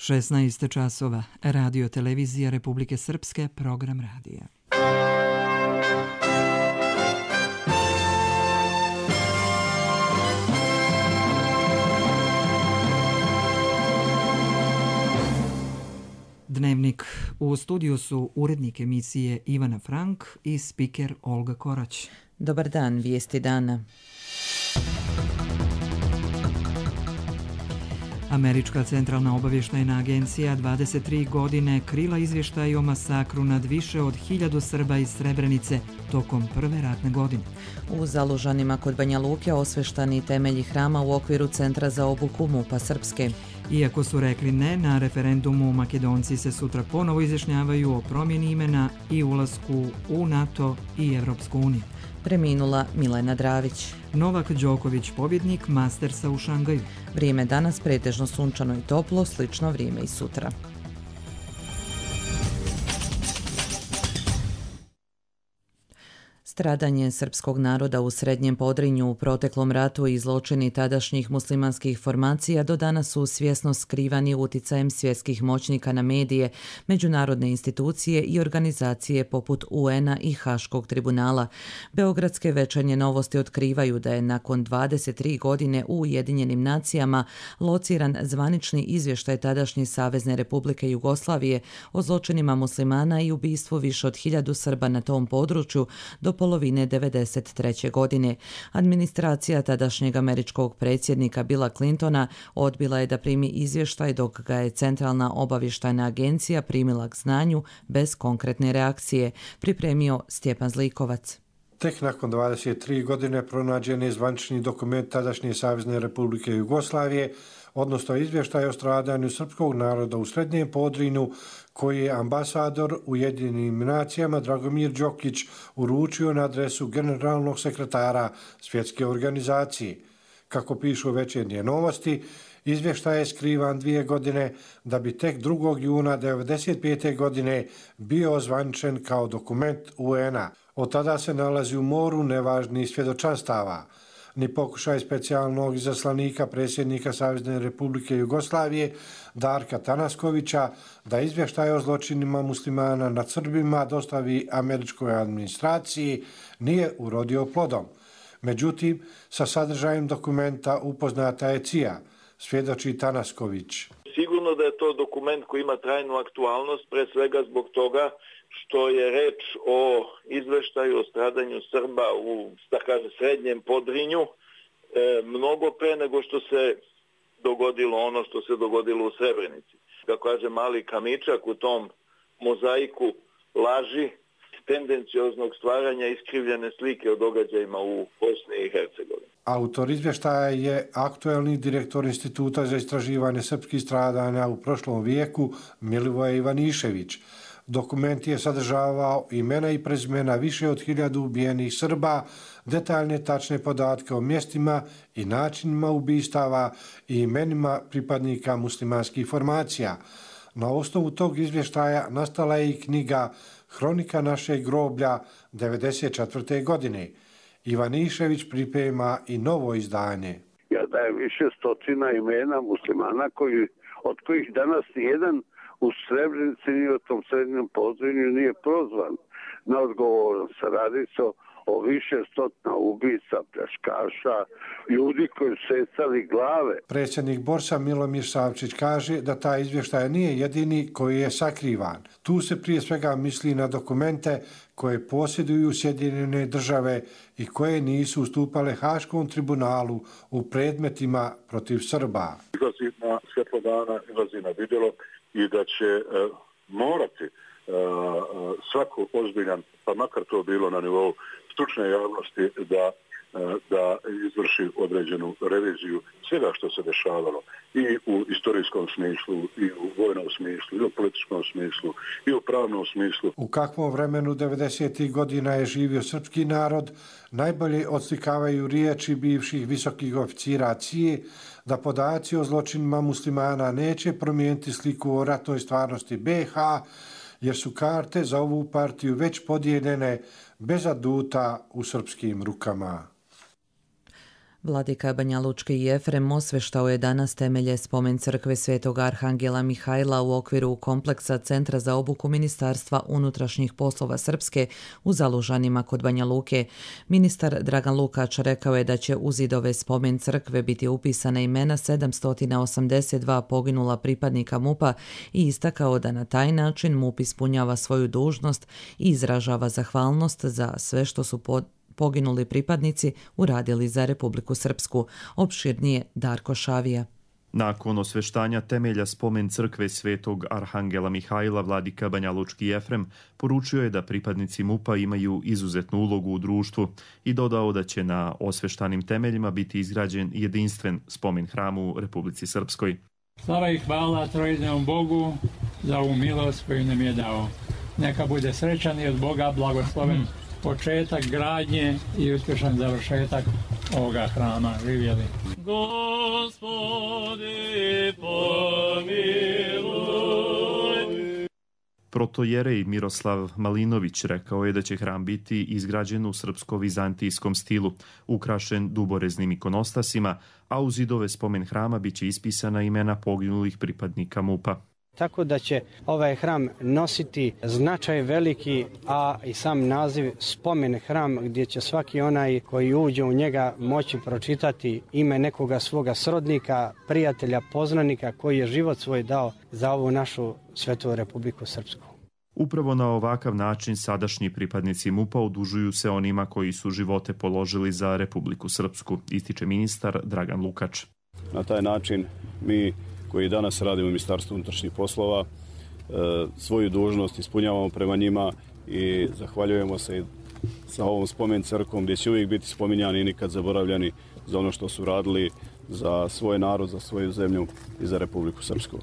16 časova. Radio televizija Republike Srpske, program radija. Dnevnik. U studiju su urednik emisije Ivana Frank i spiker Olga Korać. Dobar dan, vijesti dana. Američka centralna obavještajna agencija 23 godine krila izvještaj o masakru nad više od 1000 Srba iz Srebrenice tokom prve ratne godine. U Zalužanima kod Banja Luke osveštani temelji hrama u okviru Centra za obuku MUP-a Srpske. Iako su rekli ne na referendumu, Makedonci se sutra ponovo izjašnjavaju o promjeni imena i ulasku u NATO i Evropsku uniju. Preminula Milena Dravić. Novak Đoković, pobjednik Mastersa u Šangaju. Vrijeme danas pretežno sunčano i toplo, slično vrijeme i sutra. Stradanje srpskog naroda u Srednjem Podrinju u proteklom ratu i zločini tadašnjih muslimanskih formacija do danas su svjesno skrivani uticajem svjetskih moćnika na medije, međunarodne institucije i organizacije poput UN-a i Haškog tribunala. Beogradske večernje novosti otkrivaju da je nakon 23 godine u Ujedinjenim nacijama lociran zvanični izvještaj tadašnje Savezne Republike Jugoslavije o zločinima muslimana i ubistvu više od 1000 Srba na tom području do polovine 1993. godine. Administracija tadašnjeg američkog predsjednika Billa Clintona odbila je da primi izvještaj dok ga je Centralna obavještajna agencija primila k znanju bez konkretne reakcije, pripremio Stjepan Zlikovac. Tek nakon 23 godine pronađen je zvanični dokument tadašnje Savezne Republike Jugoslavije, odnosno izvještaj o stradanju srpskog naroda u Srednjem Podrinju, koji je ambasador Ujedinjenim nacijama Dragomir Đokić uručio na adresu generalnog sekretara Svjetske organizacije. Kako pišu večernje novosti, izvještaj je skrivan 2 godine da bi tek 2. juna 1995. godine bio ozvaničen kao dokument UN-a. Od tada se nalazi u moru nevažnih svjedočanstava. Ni pokušaj specijalnog izaslanika predsjednika Savezne Republike Jugoslavije Darka Tanaskovića da izvještaj o zločinima muslimana nad Srbima dostavi američkoj administraciji nije urodio plodom. Međutim, sa sadržajem dokumenta upoznata je CIA, svjedoči Tanasković. Sigurno da je to dokument koji ima trajnu aktualnost, pre svega zbog toga što je reč o izveštaju o stradanju Srba u, da kaže, Srednjem Podrinju, mnogo pre nego što se dogodilo ono što se dogodilo u Srebrenici. Kako kaže mali kamičak u tom mozaiku laži, tendencioznog stvaranja iskrivljene slike o događajima u Bosni i Hercegovini. Autor izvještaja je aktuelni direktor Instituta za istraživanje srpskih stradanja u prošlom vijeku Milivoje Ivanišević. Dokument je sadržavao imena i prezimena više od 1000 ubijenih Srba, detaljne tačne podatke o mjestima i načinima ubistava i imenima pripadnika muslimanskih formacija. Na osnovu tog izvještaja nastala je i knjiga Hronika našeg groblja 1994. godine. Ivanišević priprema i novo izdanje. Ja dajem više stotina imena muslimana od kojih danas nijedan u Srebrenici ni u tom Srednjem Podrinju nije prozvan na odgovornost. Radi se o više stotina ubica, pljačkaša, ljudi koji su secali glave. Predsjednik Borsa Milomir Savčić kaže da taj izvještaj nije jedini koji je sakrivan. Tu se prije svega misli na dokumente koje posjeduju Sjedinjene države i koje nisu ustupale Haškom tribunalu u predmetima protiv Srba. Izlazi na svjetlo dana, izlazi na vidjelo i da će morati svako ozbiljan, pa makar to bilo na nivou stručne javnosti, da izvrši određenu reviziju svega što se dešavalo i u istorijskom smislu, i u vojnom smislu, i u političkom smislu, i u pravnom smislu. U kakvom vremenu 90. godina je živio srpski narod, najbolje odslikavaju riječi bivših visokih oficira CIA da podaci o zločinima muslimana neće promijeniti sliku o ratnoj stvarnosti BiH, jer su karte za ovu partiju već podijeljene bez aduta u srpskim rukama. Vladika Banjalučki Jefrem osveštao je danas temelje spomen crkve Svetog Arhangela Mihajla u okviru kompleksa Centra za obuku Ministarstva unutrašnjih poslova Srpske u Zalužanima kod Banja Luke. Ministar Dragan Lukač rekao je da će u zidove spomen crkve biti upisana imena 782 poginula pripadnika MUP-a i istakao da na taj način MUP ispunjava svoju dužnost i izražava zahvalnost za sve što su poginuli pripadnici uradili za Republiku Srpsku. Opširnije Darko Šavija. Nakon osveštanja temelja spomen crkve Svetog Arhangela Mihajla, vladika Banjalučki Jefrem poručio je da pripadnici MUP-a imaju izuzetnu ulogu u društvu i dodao da će na osveštanim temeljima biti izgrađen jedinstven spomen hram u Republici Srpskoj. Slava i hvala trojednom Bogu za ovu milost koju nam je dao. Neka bude srećan i od Boga blagosloven početak gradnje i uspješan završetak ovoga hrama. Živjeli. Gospodi pomiluj. Protojerej Miroslav Malinović rekao je da će hram biti izgrađen u srpsko-vizantijskom stilu, ukrašen duboreznim ikonostasima, a u zidove spomen hrama biće ispisana imena poginulih pripadnika MUP-a. Tako da će ovaj hram nositi značaj veliki, a i sam naziv spomen hram gdje će svaki onaj koji uđe u njega moći pročitati ime nekoga svoga srodnika, prijatelja, poznanika koji je život svoj dao za ovu našu svetu Republiku Srpsku. Upravo na ovakav način sadašnji pripadnici MUP-a odužuju se onima koji su živote položili za Republiku Srpsku, ističe ministar Dragan Lukač. Na taj način mi koji danas radimo u Ministarstvu unutrašnjih poslova, svoju dužnost ispunjavamo prema njima i zahvaljujemo se sa ovom spomen crkvom gdje će uvijek biti spominjani i nikad zaboravljani za ono što su radili za svoj narod, za svoju zemlju i za Republiku Srpsku.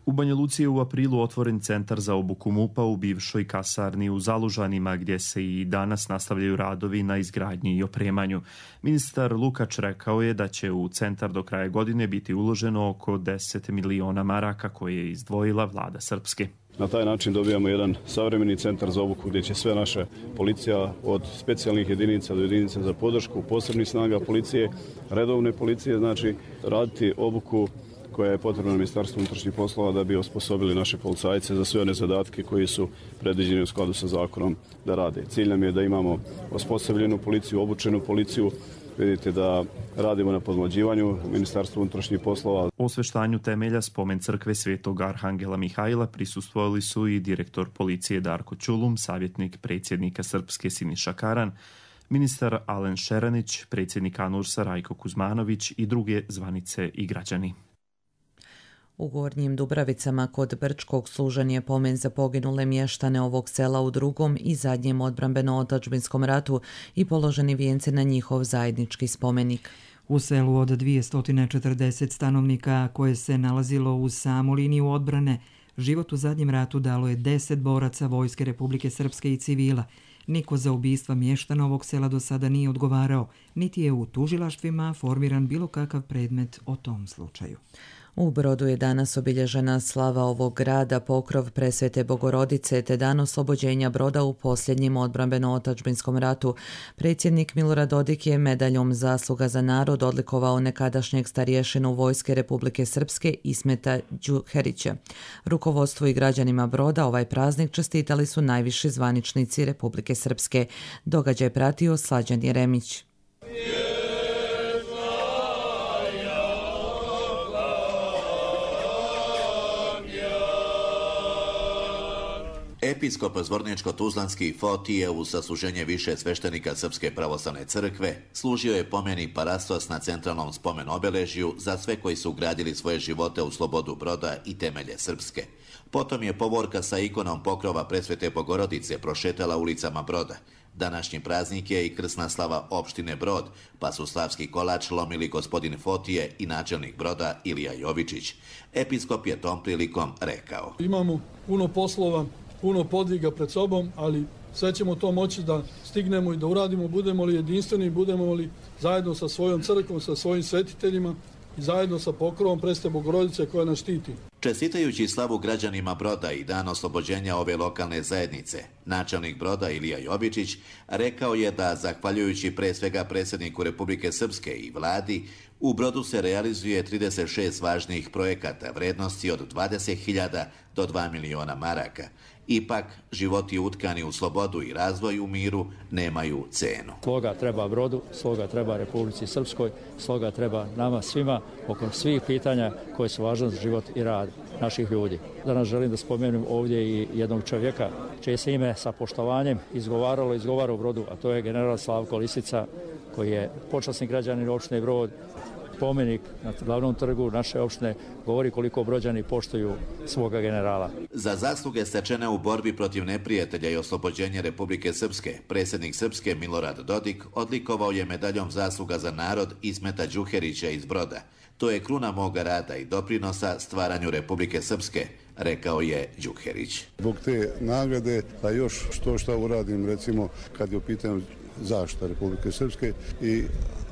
U Banja Luci je u aprilu otvoren centar za obuku MUP-a u bivšoj kasarni u Zalužanima, gdje se i danas nastavljaju radovi na izgradnji i opremanju. Ministar Lukač rekao je da će u centar do kraja godine biti uloženo oko 10 miliona maraka koje je izdvojila vlada Srpske. Na taj način dobijamo jedan savremeni centar za obuku gdje će sve naše policija od specijalnih jedinica do jedinica za podršku, posebnih snaga policije, redovne policije, znači raditi obuku koja je potrebna Ministarstvu unutrašnjih poslova da bi osposobili naše policajce za sve one zadatke koji su predviđeni u skladu sa zakonom da rade. Cilj nam je da imamo osposobljenu policiju, obučenu policiju. Vidite da radimo na podmlađivanju Ministarstva unutrašnjih poslova. Osveštanju temelja spomen crkve Svetog Arhangela Mihajla prisustvovali su i direktor policije Darko Ćulum, savjetnik predsjednika Srpske Siniša Karan, ministar Alen Šeranić, predsjednik ANURS-a Rajko Kuzmanović i druge zvanice i građani. U Gornjim Dubravicama kod Brčkog služen je pomen za poginule mještane ovog sela u drugom i zadnjem odbrambeno-otadžbinskom ratu i položeni vijenci na njihov zajednički spomenik. U selu od 240 stanovnika koje se nalazilo uz samu liniju odbrane, život u zadnjem ratu dalo je 10 boraca Vojske Republike Srpske i civila. Niko za ubistva mještana ovog sela do sada nije odgovarao, niti je u tužilaštvima formiran bilo kakav predmet o tom slučaju. U Brodu je danas obilježena slava ovog grada, pokrov Presvete Bogorodice te dan oslobođenja Broda u posljednjem odbrambeno-otadžbinskom ratu. Predsjednik Milorad Dodik je medaljom Zasluga za narod odlikovao nekadašnjeg starješinu Vojske Republike Srpske Ismeta Đuherića. Rukovodstvu i građanima Broda ovaj praznik čestitali su najviši zvaničnici Republike Srpske. Događaj pratio Slađan Jeremić. Episkop Zvorničko-Tuzlanski Fotije uz sasluženje više sveštenika Srpske pravoslavne crkve služio je pomeni parastos na centralnom spomen obeležju za sve koji su gradili svoje živote u slobodu Broda i temelje Srpske. Potom je povorka sa ikonom pokrova Presvete Bogorodice prošetala ulicama Broda. Današnji praznik je i krsna slava opštine Brod, pa su slavski kolač lomili gospodin Fotije i načelnik Broda Ilija Jovičić. Episkop je tom prilikom rekao: Imamo puno poslova, puno podviga pred sobom, ali sve ćemo to moći da stignemo i da uradimo, budemo li jedinstveni, budemo li zajedno sa svojom crkvom, sa svojim svetiteljima, i zajedno sa pokrovom Presvete Bogorodice koja nas štiti. Čestitajući slavu građanima Broda i dan oslobođenja ove lokalne zajednice, načelnik Broda Ilija Jovičić rekao je da, zahvaljujući pre svega predsjedniku Republike Srpske i vladi, u Brodu se realizuje 36 važnih projekata vrednosti od 20.000 do 2 miliona maraka. Ipak, životi utkani u slobodu i razvoj u miru nemaju cenu. Sloga treba Brodu, sloga treba Republici Srpskoj, sloga treba nama svima oko svih pitanja koje su važne za život i rad naših ljudi. Danas želim da spomenem ovdje i jednog čovjeka čije se ime sa poštovanjem izgovara u Brodu, a to je general Slavko Lisica, koji je počasni građanin opštine Brod. Spomenik na glavnom trgu naše opštine govori koliko Brođani poštuju svoga generala. Za zasluge stečene u borbi protiv neprijatelja i oslobođenje Republike Srpske, predsjednik Srpske Milorad Dodik odlikovao je medaljom zasluga za narod Ismeta Đuherića iz Broda. To je kruna moga rada i doprinosa stvaranju Republike Srpske, rekao je Đuherić. Zbog te nagrade, da još što uradim, recimo, kad je u pitanju zaštita Republike Srpske i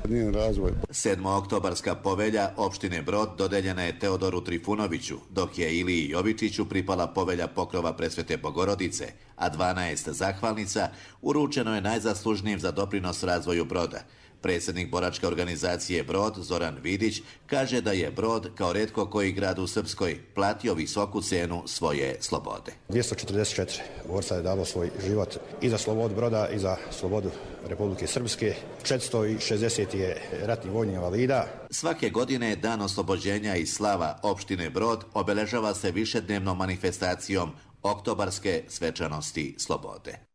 njen razvoj. 7. povelja opštine Brod dodeljena je Teodoru Trifunoviću, dok je Iliji Jovičiću pripala povelja pokrova Presvete Bogorodice, a 12 zahvalnica uručeno je najzaslužnijim za doprinos razvoju Broda. Predsjednik boračke organizacije Brod, Zoran Vidić, kaže da je Brod, kao retko koji grad u Srpskoj, platio visoku cenu svoje slobode. 244 borca je dalo svoj život i za slobodu Broda i za slobodu Republike Srpske. 460 je ratnih vojnih invalida. Svake godine Dan oslobođenja i slava opštine Brod obeležava se višednevnom manifestacijom Oktobarske svečanosti slobode.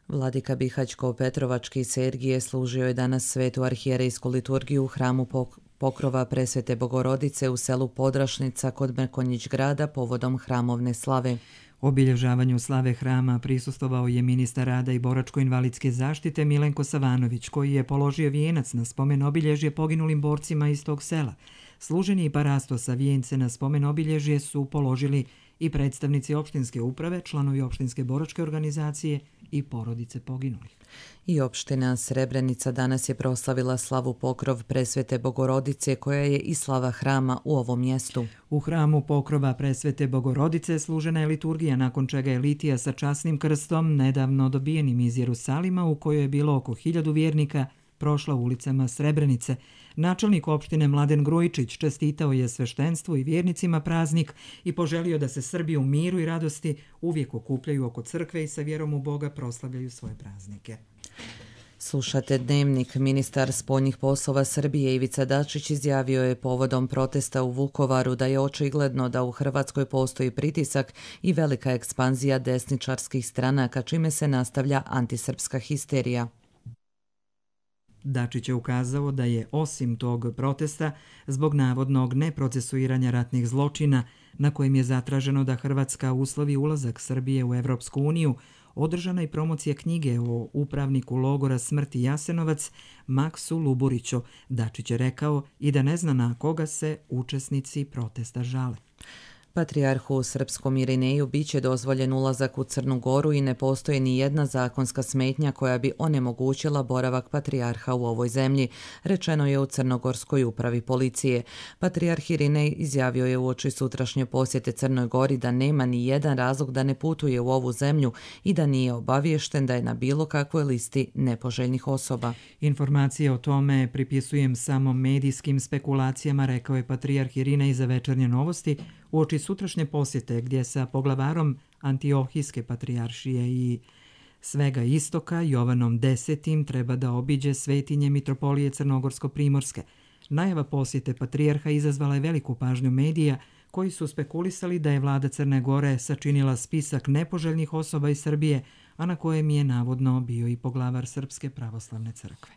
Vladika Bihaćko-Petrovački Sergije služio je danas svetu arhijerejsku liturgiju u hramu Pokrova Presvete Bogorodice u selu Podrašnica kod Mrkonjić grada povodom hramovne slave. Obilježavanju slave hrama prisustvovao je ministar rada i boračko-invalidske zaštite Milenko Savanović, koji je položio vijenac na spomen obilježje poginulim borcima iz tog sela. Služenje i parasto sa vijence na spomen obilježje su položili i predstavnici opštinske uprave, članovi opštinske boračke organizacije i porodice poginulih. I opština Srebrenica danas je proslavila slavu Pokrov Presvete Bogorodice, koja je i slava hrama u ovom mjestu. U hramu Pokrova Presvete Bogorodice služena je liturgija, nakon čega je litija sa časnim krstom, nedavno dobijenim iz Jerusalima, u kojoj je bilo oko 1000 vjernika, prošla ulicama Srebrenice. Načelnik opštine Mladen Grujičić čestitao je sveštenstvu i vjernicima praznik i poželio da se Srbi u miru i radosti uvijek okupljaju oko crkve i sa vjerom u Boga proslavljaju svoje praznike. Slušate Dnevnik. Ministar spoljnih poslova Srbije Ivica Dačić izjavio je povodom protesta u Vukovaru da je očigledno da u Hrvatskoj postoji pritisak i velika ekspanzija desničarskih stranaka, čime se nastavlja antisrpska histerija. Dačić je ukazao da je osim tog protesta, zbog navodnog neprocesuiranja ratnih zločina, na kojim je zatraženo da Hrvatska uslovi ulazak Srbije u Evropsku uniju, održana i promocija knjige o upravniku logora smrti Jasenovac Maksu Luburiću. Dačić je rekao i da ne zna na koga se učesnici protesta žale. Patrijarhu srpskom Irineju biće dozvoljen ulazak u Crnu Goru i ne postoji ni jedna zakonska smetnja koja bi onemogućila boravak patrijarha u ovoj zemlji, rečeno je u Crnogorskoj upravi policije. Patrijarh Irinej izjavio je uoči sutrašnje posjete Crnoj Gori da nema ni jedan razlog da ne putuje u ovu zemlju i da nije obaviješten da je na bilo kakvoj listi nepoželjnih osoba. Informacije o tome pripisujem samo medijskim spekulacijama, rekao je patrijarh Irinej za Večernje novosti, uoči sutrašnje posjete gdje sa poglavarom Antiohijske patrijaršije i svega istoka Jovanom X treba da obiđe svetinje mitropolije Crnogorsko-Primorske. Najava posjete patrijarha izazvala je veliku pažnju medija koji su spekulisali da je vlada Crne Gore sačinila spisak nepoželjnih osoba iz Srbije, a na kojem je navodno bio i poglavar Srpske pravoslavne crkve.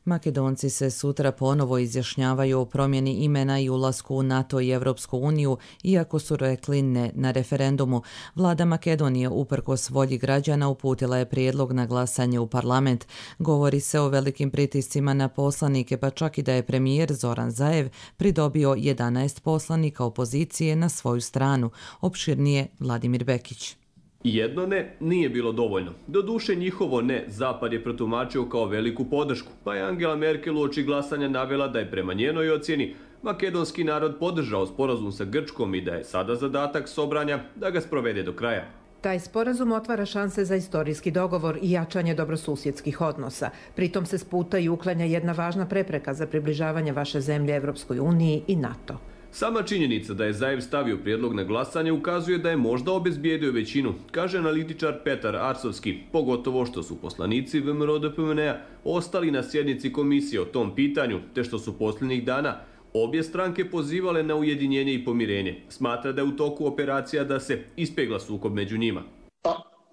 Makedonci se sutra ponovo izjašnjavaju o promjeni imena i ulasku u NATO i Evropsku uniju, iako su rekli ne na referendumu. Vlada Makedonije, uprkos volji građana, uputila je prijedlog na glasanje u parlament. Govori se o velikim pritiscima na poslanike, pa čak i da je premijer Zoran Zaev pridobio 11 poslanika opozicije na svoju stranu. Opširnije Vladimir Bekić. Jedno ne nije bilo dovoljno. Doduše njihovo ne Zapad je protumačio kao veliku podršku, pa je Angela Merkel uoči glasanja navela da je prema njenoj ocjeni makedonski narod podržao sporazum sa Grčkom i da je sada zadatak Sobranja da ga sprovede do kraja. Taj sporazum otvara šanse za istorijski dogovor i jačanje dobrosusjedskih odnosa. Pritom se sputa i uklanja jedna važna prepreka za približavanje vaše zemlje Evropskoj uniji i NATO. Sama činjenica da je Zaev stavio prijedlog na glasanje ukazuje da je možda obezbijedio većinu, kaže analitičar Petar Arsovski, pogotovo što su poslanici VMRO-DPMNE ostali na sjednici komisije o tom pitanju, te što su posljednjih dana obje stranke pozivale na ujedinjenje i pomirenje. Smatra da je u toku operacija da se ispegla sukob među njima.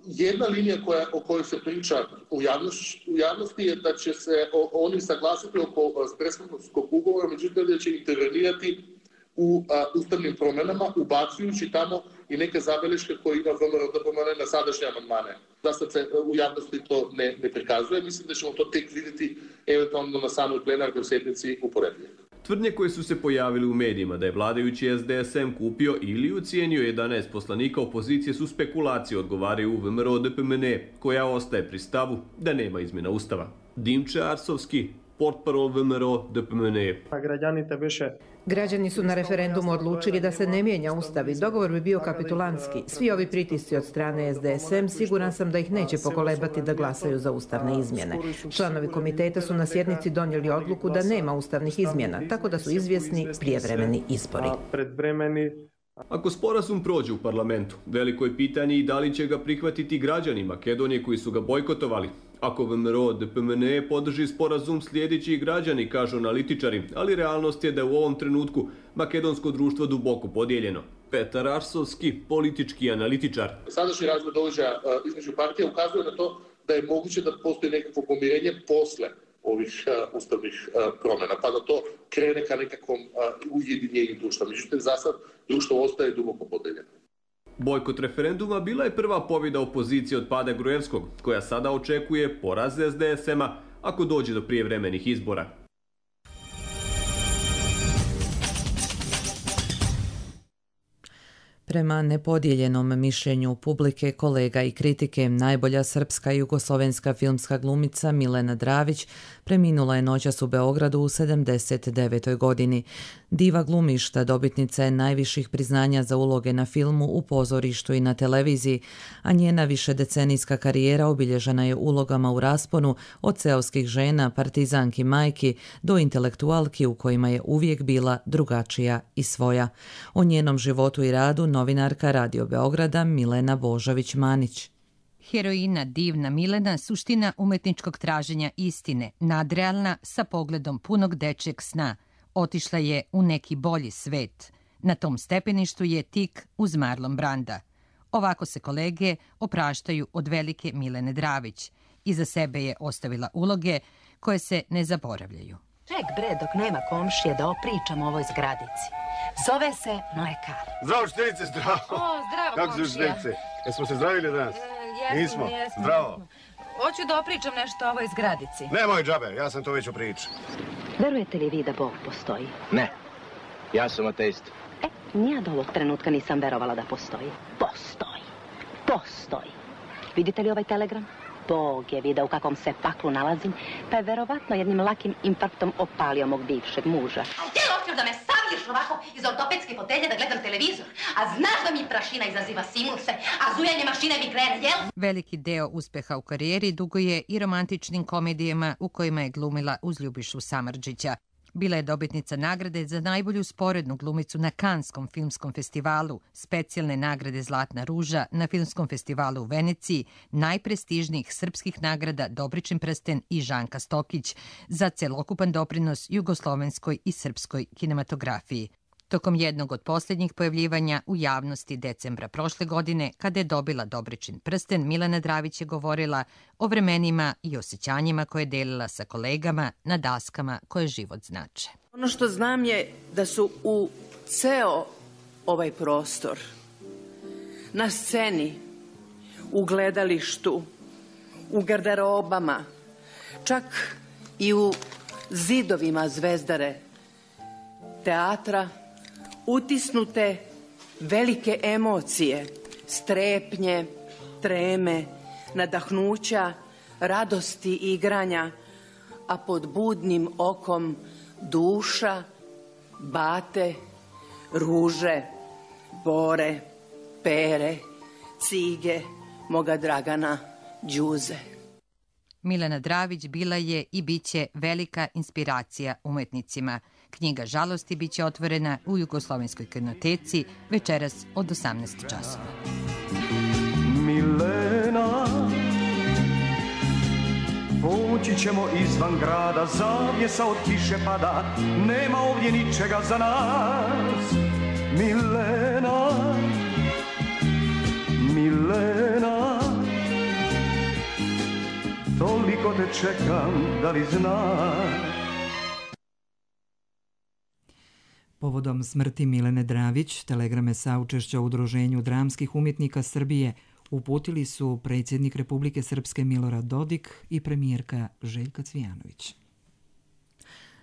Jedna linija o kojoj se priča u javnosti je da će se oni saglasiti oko Prespanskog ugovora, međutim da će intervenirati u ustavnim promjenama, ubacujući tamo i neke zabeleške koje ima VMRO-DPMNE na sadašnje amandmane. Da sad se u javnosti to ne prikazuje, mislim da ćemo to tek vidjeti eventualno na samoj plenarnoj sjednici u ponedjeljak. Tvrdnje koje su se pojavili u medijima da je vladajući SDSM kupio ili ucijenio 11 poslanika opozicije su spekulacije, odgovaraju u VMRO-DPMNE, koja ostaje pri stavu da nema izmjena ustava. Dimče Arsovski, portparol VMRO-DPMNE. Građani su na referendumu odlučili da se ne mijenja ustav i dogovor bi bio kapitulantski. Svi ovi pritisci od strane SDSM siguran sam da ih neće pokolebati da glasaju za ustavne izmjene. Članovi komiteta su na sjednici donijeli odluku da nema ustavnih izmjena, tako da su izvjesni prijevremeni izbori. Ako sporazum prođe u parlamentu, veliko je pitanje i da li će ga prihvatiti građani Makedonije koji su ga bojkotovali. Ako VMRO-DPMNE podrži sporazum, slijedeći građani, kažu analitičari, ali realnost je da je u ovom trenutku makedonsko društvo duboko podijeljeno. Petar Arsovski, politički analitičar. Sadašnji razvoj događaja između partija ukazuje na to da je moguće da postoji nekakvo pomirenje posle ovih ustavnih promjena, pa da to krene ka nekakvom ujedinjenju društva. Međutim, za sad društvo ostaje duboko podijeljeno. Bojkot referenduma bila je prva pobjeda opozicije od pada Gruevskog, koja sada očekuje poraz SDSM-a ako dođe do prijevremenih izbora. Prema nepodijeljenom mišljenju publike, kolega i kritike, najbolja srpska i jugoslovenska filmska glumica Milena Dravić preminula je noćas u Beogradu u 79. godini. Diva glumišta dobitnica je najviših priznanja za uloge na filmu, u pozorištu i na televiziji, a njena višedecenijska karijera obilježena je ulogama u rasponu od seoskih žena, partizanki majki do intelektualki u kojima je uvijek bila drugačija i svoja. O njenom životu i radu novinarka Radio Beograda Milena Božović-Manić. Heroina divna Milena, suština umetničkog traženja istine, nadrealna sa pogledom punog dečjeg sna. Otišla je u neki bolji svet. Na tom stepeništu je tik uz Marlon Branda. Ovako se kolege opraštaju od velike Milene Dravić. Iza sebe je ostavila uloge koje se ne zaboravljaju. Ček bre, dok nema komšije da opričam o ovoj zgradici. Zove se Mlekar. Zdravo štenice, zdravo. O, zdravo kako komšija. Kako su štenice? Jesmo se zdravili danas? Jesmo. Zdravo. Hoću da opričam nešto o ovoj zgradici. Nemoj džabe, ja sam to već upričao. Verujete li vi da Bog postoji? Ne, ja sam ateist. Nija do ovog trenutka nisam verovala da postoji. Postoji. Vidite li ovaj telegram? Bog je video u kakvom se paklu nalazim, pa je verovatno jednim lakim infarktom opalio mog bivšeg muža. A gdje li hoćeš da me stavlješ ovako iz ortopedske fotelje da gledam televizor? A znaš da mi prašina izaziva sinuse, a zujanje mašine mi krene, jel? Veliki deo uspeha u karijeri dugo je i romantičnim komedijama u kojima je glumila uz Ljubišu Samardžića. Bila je dobitnica nagrade za najbolju sporednu glumicu na Kanskom filmskom festivalu, specijalne nagrade Zlatna ruža na Filmskom festivalu u Veneciji, najprestižnijih srpskih nagrada Dobričin prsten i Žanka Stokić za celokupan doprinos jugoslovenskoj i srpskoj kinematografiji. Tokom jednog od posljednjih pojavljivanja u javnosti decembra prošle godine, kada je dobila Dobričin prsten, Milena Dravić je govorila o vremenima i osjećanjima koje je delila sa kolegama na daskama koje život znače. Ono što znam je da su u ceo ovaj prostor, na sceni, u gledalištu, u garderobama, čak i u zidovima Zvezdare teatra, utisnute velike emocije, strepnje, treme, nadahnuća, radosti i igranja, a pod budnim okom duša, bate, ruže, bore, pere, cige, moga Dragana, Đuze. Milena Dravić bila je i biće velika inspiracija umetnicima. Knjiga Žalosti biće otvorena u Jugoslovenskoj kinoteci večeras od 18 časova. Milena, poći ćemo izvan grada, zavjesa od kiše pada, nema ovdje ničega za nas. Milena, Milena, toliko te čekam, da li znaš? Povodom smrti Milene Dravić, telegrame saučešća Udruženju dramskih umjetnika Srbije uputili su predsjednik Republike Srpske Milorad Dodik i premijerka Željka Cvijanović.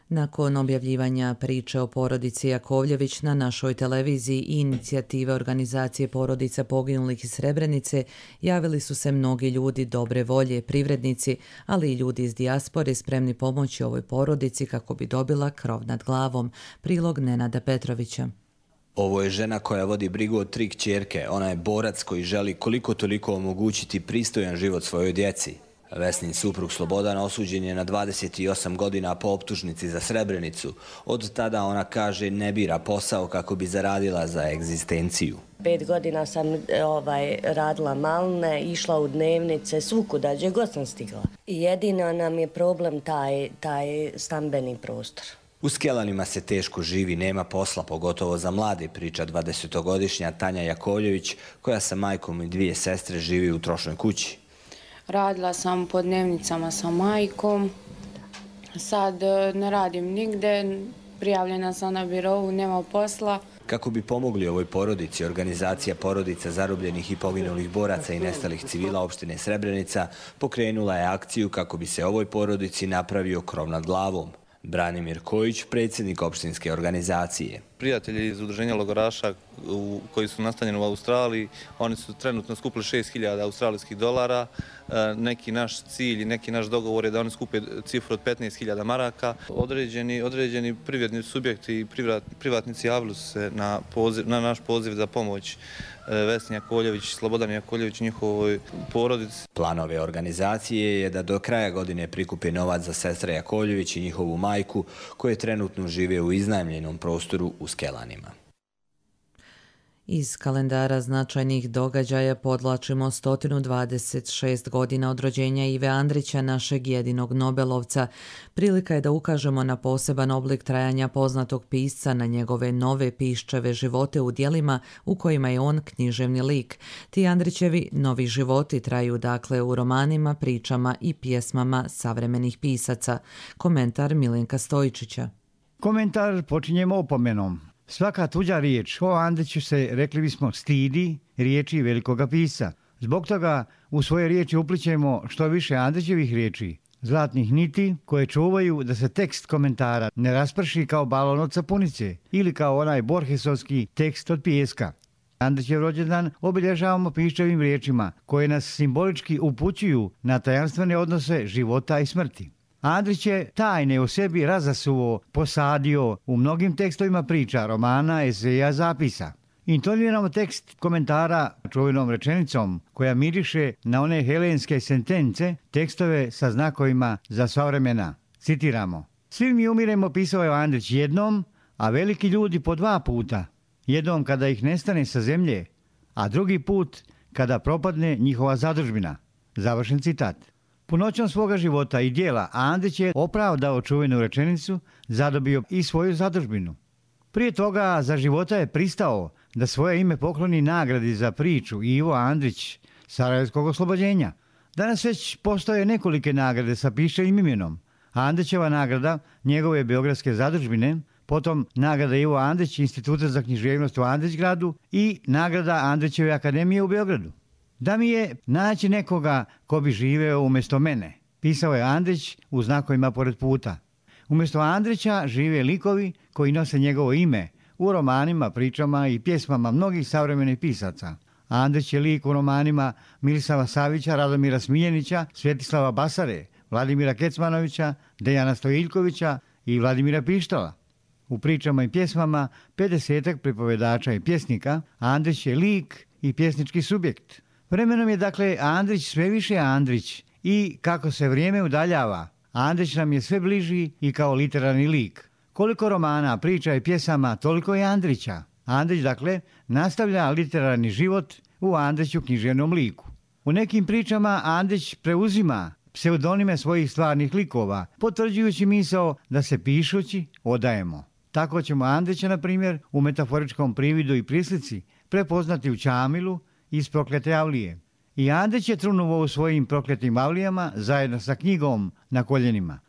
Nakon objavljivanja priče o porodici Jakovljević na našoj televiziji i inicijative organizacije porodica poginulih iz Srebrenice, javili su se mnogi ljudi dobre volje, privrednici, ali i ljudi iz dijaspore spremni pomoći ovoj porodici kako bi dobila krov nad glavom. Prilog Nenada Petrovića. Ovo je žena koja vodi brigu od 3 kćerke. Ona je borac koji želi koliko toliko omogućiti pristojan život svojoj djeci. Vesnin suprug Slobodan osuđen je na 28 godina po optužnici za Srebrenicu. Od tada ona kaže ne bira posao kako bi zaradila za egzistenciju. 5 godina sam radila malne, išla u dnevnice, svukuda, gdje god sam stigla. I jedino nam je problem taj stambeni prostor. U Skelanima se teško živi, nema posla, pogotovo za mlade, priča 20-godišnja Tanja Jakovljević, koja sa majkom i 2 sestre živi u trošnoj kući. Radila sam po dnevnicama sa majkom, sad ne radim nigde, prijavljena sam na birovu, nema posla. Kako bi pomogli ovoj porodici, organizacija porodica zarobljenih i poginulih boraca i nestalih civila opštine Srebrenica pokrenula je akciju kako bi se ovoj porodici napravio krov nad glavom. Branimir Kojić, predsjednik opštinske organizacije. Prijatelji iz udruženja logoraša koji su nastanjeni u Australiji, oni su trenutno skupili 6.000 australijskih dolara. Neki naš cilj i neki naš dogovor je da oni skupe cifru od 15.000 maraka. Određeni privredni subjekti i privatnici javili su se na naš poziv za pomoć Vesni Jakovljević, Slobodan Jakovljević, njihovoj porodici. Plan ove organizacije je da do kraja godine prikupe novac za sestre Jakovljević i njihovu majku, koje trenutno žive u iznajmljenom prostoru u Skelanima. Iz kalendara značajnih događaja podlačimo 126 godina od rođenja Ive Andrića, našeg jedinog Nobelovca. Prilika je da ukažemo na poseban oblik trajanja poznatog pisca, na njegove nove piščeve živote u djelima u kojima je on književni lik. Ti Andrićevi novi životi traju dakle u romanima, pričama i pjesmama savremenih pisaca. Komentar Milenka Stojičića. Komentar počinjemo opomenom. Svaka tuđa riječ o Andriću se, rekli bismo, stidi riječi velikoga pisca. Zbog toga u svoje riječi uplićemo što više Andrićevih riječi, zlatnih niti koje čuvaju da se tekst komentara ne rasprši kao balon od sapunice ili kao onaj Borgesovski tekst od pijeska. Andrićev rođendan obilježavamo piščevim riječima koje nas simbolički upućuju na tajanstvene odnose života i smrti. Andrić je tajne o sebi razasuo, posadio u mnogim tekstovima priča, romana, eseja, zapisa. Intoniramo tekst komentara čuvenom rečenicom koja miriše na one helenske sentence, tekstove sa znakovima za sva vremena. Citiramo. Svi mi umiremo, pisao je Andrić, jednom, a veliki ljudi po 2 puta. Jednom kada ih nestane sa zemlje, a drugi put kada propadne njihova zadužbina. Završen citat. Punoćom svoga života i dijela Andrić je opravdao čuvenu rečenicu, zadobio i svoju zadužbinu. Prije toga za života je pristao da svoje ime pokloni nagradi za priču Ivo Andrić Sarajevskog oslobođenja. Danas već postoje nekolike nagrade sa piščevim imenom. Andrićeva nagrada njegove beogradske zadužbine, potom nagrada Ivo Andrić Instituta za književnost u Andrićgradu i nagrada Andrićeve akademije u Beogradu. Da mi je naći nekoga ko bi živeo umjesto mene, pisao je Andrić u znakovima pored puta. Umjesto Andrića žive likovi koji nose njegovo ime u romanima, pričama i pjesmama mnogih savremenih pisaca. Andrić je lik u romanima Milisava Savića, Radomira Smiljenića, Svetislava Basare, Vladimira Kecmanovića, Dejana Stojiljkovića i Vladimira Pištala. U pričama i pjesmama 50-ak pripovedača i pjesnika, Andrić je lik i pjesnički subjekt. Vremenom je dakle Andrić sve više Andrić i kako se vrijeme udaljava, Andrić nam je sve bliži i kao literarni lik. Koliko romana, priča i pjesama, toliko je Andrića. Andrić dakle nastavlja literarni život u Andriću književnom liku. U nekim pričama Andrić preuzima pseudonime svojih stvarnih likova, potvrđujući misao da se pišući odajemo. Tako ćemo Andrića, na primjer, u metaforičkom prividu i prislici prepoznati u Čamilu iz Proklete Avlije. I Andrić je trunuo u svojim prokletim avlijama zajedno sa knjigom na koljenima.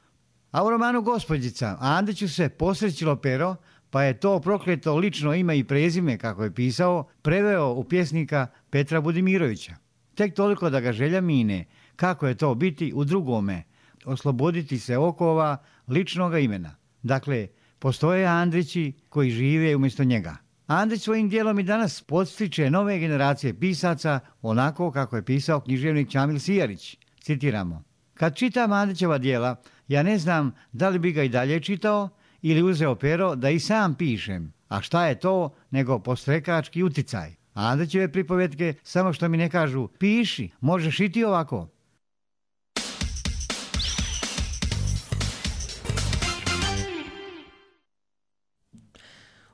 A u romanu Gospođica Andriću se posrećilo pero, pa je to prokleto lično ime i prezime, kako je pisao, preveo u pjesnika Petra Budimirovića. Tek toliko da ga želja mine, kako je to biti u drugome, osloboditi se okova ličnoga imena. Dakle, postoje Andrići koji žive umjesto njega. Andrić svojim dijelom i danas podstiče nove generacije pisaca onako kako je pisao književnik Čamil Sijarić. Citiramo: kad čitam Andrićeva dijela, ja ne znam da li bi ga i dalje čitao ili uzeo pero da i sam pišem. A šta je to nego postrekački uticaj? Andrićeve pripovetke samo što mi ne kažu piši, možeš i ti ovako.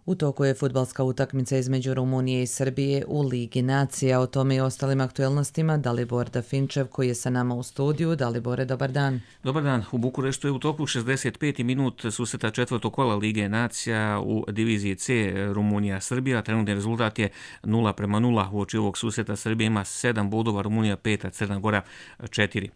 U toku je fudbalska utakmica između Rumunije i Srbije u Ligi nacija. O tome i ostalim aktuelnostima Dalibor Dafinčev koji je sa nama u studiju. Dalibore, dobar dan. Dobar dan. U Bukureštu je u toku 65. minut susreta četvrtog kola Lige nacija u diviziji C Rumunija-Srbija. Trenutni rezultat je 0:0. Uoči ovog susreta Srbija ima 7 bodova, Rumunija 5, a Crna Gora 4.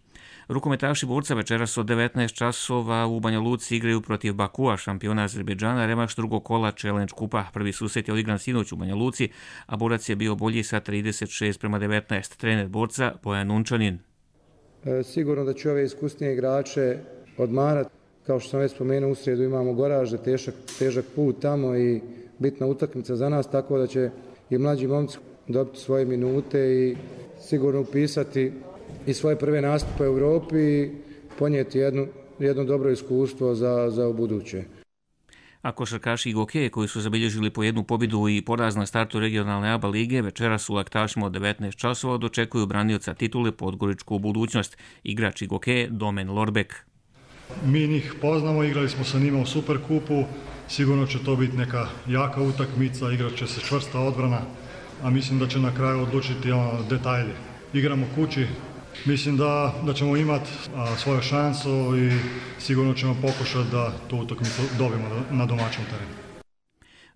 Rukometaši borca večeras od 19 časova u Banja Luci igraju protiv Bakua, šampiona Azerbejdžana, revanš drugog kola Challenge kupa. Prvi susret je odigran sinoć u Banja Luci, a borac je bio bolji sa 36:19. Trener borca Bojan Unčanin. Sigurno da će ove iskusnije igrače odmarati. Kao što sam već spomenuo, u srijedu imamo Goražde, težak put tamo i bitna utakmica za nas, tako da će i mlađi momci dobiti svoje minute i sigurno upisati i svoje prve nastupe u Europi i ponijeti jedno dobro iskustvo za buduće. A košarkaši Gokeje koji su zabilježili po jednu pobjedu i poraz na startu regionalne ABA lige večeras u Laktašima od 19 časova dočekuju branioca titule Podgoričku budućnost, igrač Gokeje Domen Lorbek. Mi njih poznamo, igrali smo sa njima u Superkupu, sigurno će to biti neka jaka utakmica, igrat će se čvrsta odbrana, a mislim da će na kraju odlučiti detalje. Igramo kući, mislim da ćemo imati svoju šansu i sigurno ćemo pokušati da tu utakmicu dobijemo na domaćem terenu.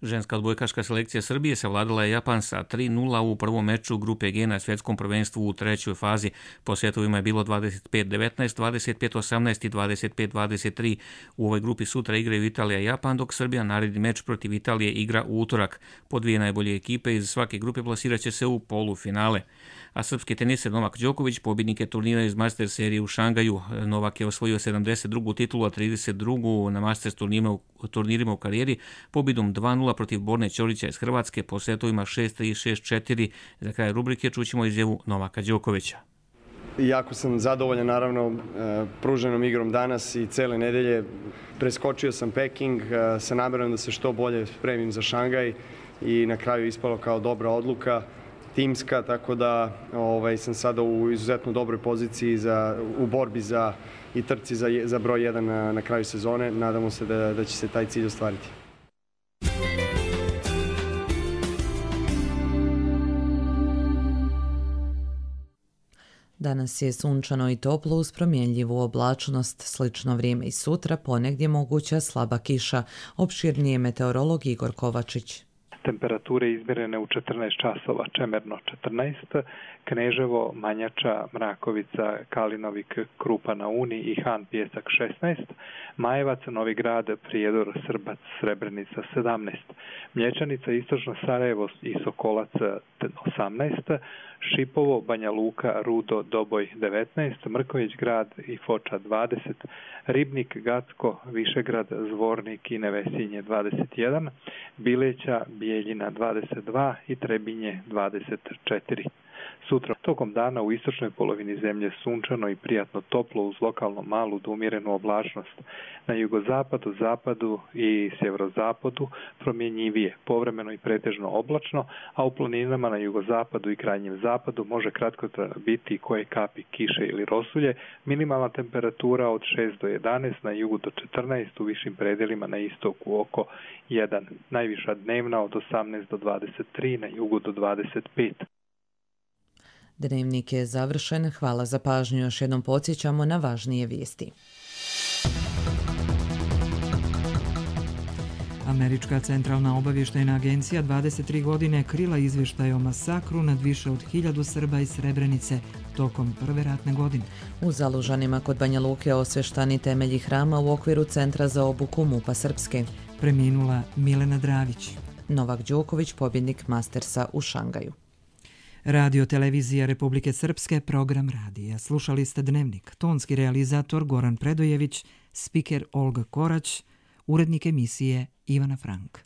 Ženska odbojkaška selekcija Srbije savladala je Japan sa 3:0 u prvom meču grupe G na svjetskom prvenstvu u trećoj fazi. Po setovima je bilo 25-19, 25-18 i 25-23. U ovoj grupi sutra igraju Italija i Japan, dok Srbija naredni meč protiv Italije igra u utorak. Po dvije najbolje ekipe iz svake grupe plasirat će se u polufinale. A srpski teniser Novak Đoković pobjednik je turnira iz Master serije u Šangaju. Novak je osvojio 72. titulu, a 32. na Masters turnirima u karijeri pobjedom 2:0 protiv Borne Ćorića iz Hrvatske po setovima 6-3, 6-4. Za kraj rubrike čućemo izjavu Novaka Đokovića. Jako sam zadovoljan naravno pruženom igrom danas i cele nedelje. Preskočio sam Peking sa namerom da se što bolje spremim za Šangaj i na kraju ispalo kao dobra odluka. Timska, tako da sam sada u izuzetno dobroj poziciji u borbi i trci za broj 1 na kraju sezone. Nadamo se da će se taj cilj ostvariti. Danas je sunčano i toplo uz promjenljivu oblačnost, slično vrijeme i sutra, ponegdje moguća slaba kiša. Opširnije meteorolog Igor Kovačić. Temperature izmjerene u 14 časova, Čemerno 14, Kneževo, Manjača, Mrakovica, Kalinovik, Krupa na Uni i Han Pjesak 16, Majevac, Novi Grad, Prijedor, Srbac, Srebrenica 17, Mlječanica, Istočno Sarajevo i Sokolac 18, Šipovo, Banja Luka, Rudo, Doboj 19, Mrković Grad i Foča 20, Ribnik, Gacko, Višegrad, Zvornik i Nevesinje 21, Bileća, Bijeljina 22 i Trebinje 24. Sutra tokom dana u istočnoj polovini zemlje sunčano i prijatno toplo uz lokalno malu do umjerenu oblačnost. Na jugozapadu, zapadu i sjeverozapadu promjenjivije, povremeno i pretežno oblačno, a u planinama na jugozapadu i krajnjem zapadu može kratko biti koje kapi kiše ili rosulje, minimalna temperatura od 6 do 11, na jugu do 14, u višim predelima na istoku oko 1, najviša dnevna od 18 do 23, na jugu do 25. Dnevnik je završen. Hvala za pažnju. Još jednom podsjećamo na važnije vijesti. Američka centralna obavještajna agencija 23 godine krila izvještaj o masakru nad više od 1000 Srba iz Srebrenice tokom prve ratne godine. U Zalužanima kod Banja Luke osveštani temelji hrama u okviru Centra za obuku MUP-a Srpske. Preminula Milena Dravić. Novak Đoković, pobjednik Mastersa u Šangaju. Radio Televizija Republike Srpske, program radija. Slušali ste Dnevnik. Tonski realizator Goran Predojević, spiker Olga Korać, urednik emisije Ivana Frank.